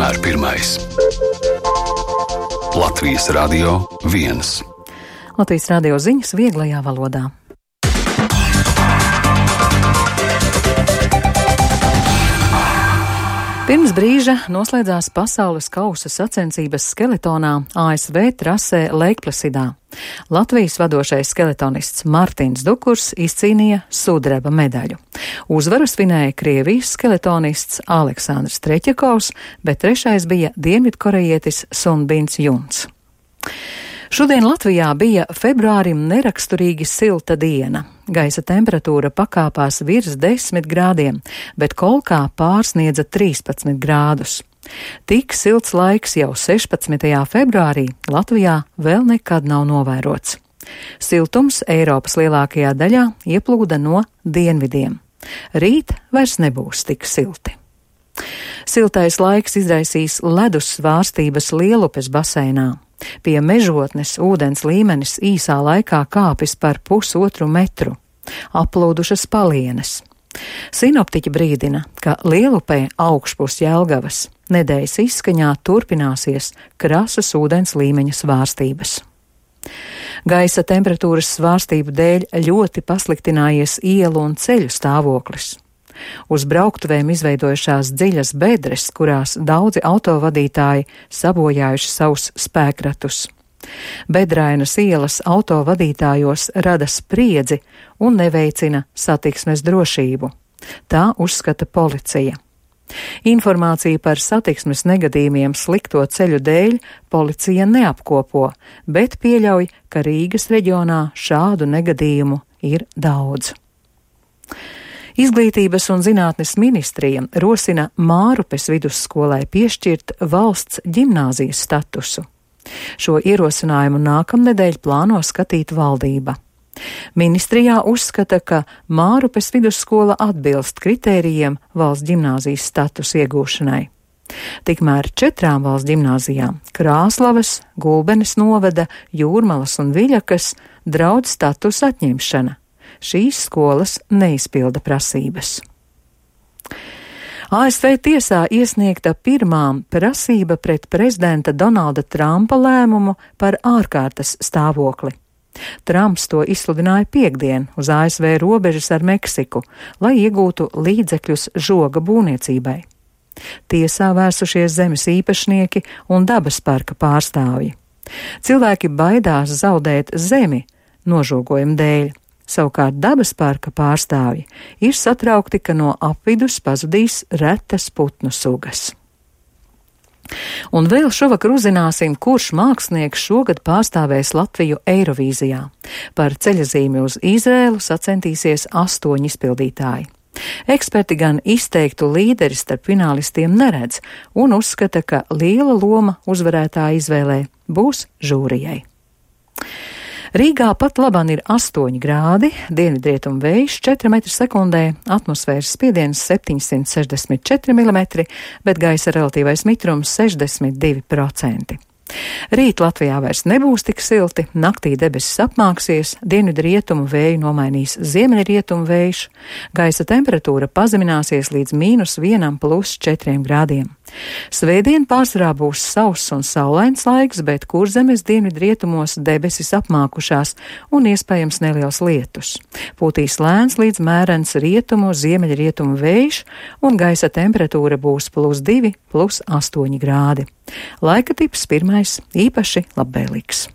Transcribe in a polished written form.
vienmēr pirmais. Latvijas Radio 1. Latvijas radio ziņas vieglajā valodā. Pirms brīža noslēdzās pasaules kausa sacensības skeletonā ASV trasē Leikplasidā. Latvijas vadošais skeletonists Martins Dukurs izcīnīja sudraba medaļu. Uzvaru svinēja Krievijas skeletonists Aleksandrs Treķakovs, bet trešais bija dienvidkorejietis Sunbins Juns. Šodien Latvijā bija februārim neraksturīgi silta diena. Gaisa temperatūra pakāpās virs 10 grādiem, bet Kolkā pārsniedza 13 grādus. Tik silts laiks jau 16. februārī Latvijā vēl nekad nav novērots. Siltums Eiropas lielākajā daļā ieplūda no dienvidiem. Rīt vairs nebūs tik silti. Siltais laiks izraisīs ledus svārstības Lielupes baseinā. Pie Mežotnes ūdens līmenis īsā laikā kāpis par 1,5 metru. Aplūdušas palienes. Sinoptiķi brīdina, ka Lielupē augšpus Jelgavas nedēļas izskaņā turpināsies krasas ūdens līmeņa svārstības. Gaisa temperatūras svārstību dēļ ļoti pasliktinājies ielu un ceļu stāvoklis. Uz brauktuvēm izveidojušās dziļas bedres, kurās daudzi autovadītāji sabojājuši savus spēkratus. Bedrainas ielas autovadītājos rada spriedzi un neveicina satiksmes drošību. Tā uzskata policija. Informāciju par satiksmes negadījumiem slikto ceļu dēļ policija neapkopo, bet pieļauj, ka Rīgas reģionā šādu negadījumu ir daudz. Izglītības un zinātnes ministrija rosina Mārupes vidusskolai piešķirt valsts ģimnāzijas statusu. Šo ierosinājumu nākamnedēļ plāno skatīt valdība. Ministrijā uzskata, ka Mārupes vidusskola atbilst kritērijiem valsts ģimnāzijas statusa iegūšanai. Tikmēr 4 valsts ģimnāzijām – Krāslavas, Gulbenes novada, Jūrmalas un Viļakas – draud statusa atņemšana. Šīs skolas neizpilda prasības. ASV tiesā iesniegta pirmā prasība pret prezidenta Donalda Trumpa lēmumu par ārkārtas stāvokli. Trumps to izsludināja piektdien uz ASV robežas ar Meksiku, lai iegūtu līdzekļus žoga būvniecībai. Tiesā vērsušies zemes īpašnieki un dabas parka pārstāvji. Cilvēki baidās zaudēt zemi nožogojuma dēļ. Savukārt dabas parka pārstāvji ir satraukti, ka no apvidus pazudīs retas putnu sugas. Un vēl šovakar uzzināsim, kurš mākslinieks šogad pārstāvēs Latviju Eirovīzijā. Par ceļazīmi uz Izrēlu sacentīsies 8 izpildītāji. Eksperti gan izteiktu līderi starp finālistiem neredz un uzskata, ka liela loma uzvarētāja izvēlē būs žūrijai. Rīgā pat labāk ir 8 grādi, dienvidrietumu vējš 4 m/sekundē, atmosfēras spiediens 764 mm, bet gaisa relatīvais mitrums 62%. Rīt Latvijā vairs nebūs tik silti, naktī debesis apmāksies, dienvidrietumu vēju nomainīs ziemeļrietumu vējš, gaisa temperatūra pazemināsies līdz -1 + 4 grādiem. Svētdien pārsvarā būs sauss un saulains laiks, bet Kurzemes dienvidrietumos debesis apmākušās un iespējams neliels lietus. Pūtīs lēns līdz mērens rietumu, ziemeļrietumu vējš un gaisa temperatūra būs +2 + 8 grādi. Laika tips pirmais īpaši labvēlīgs.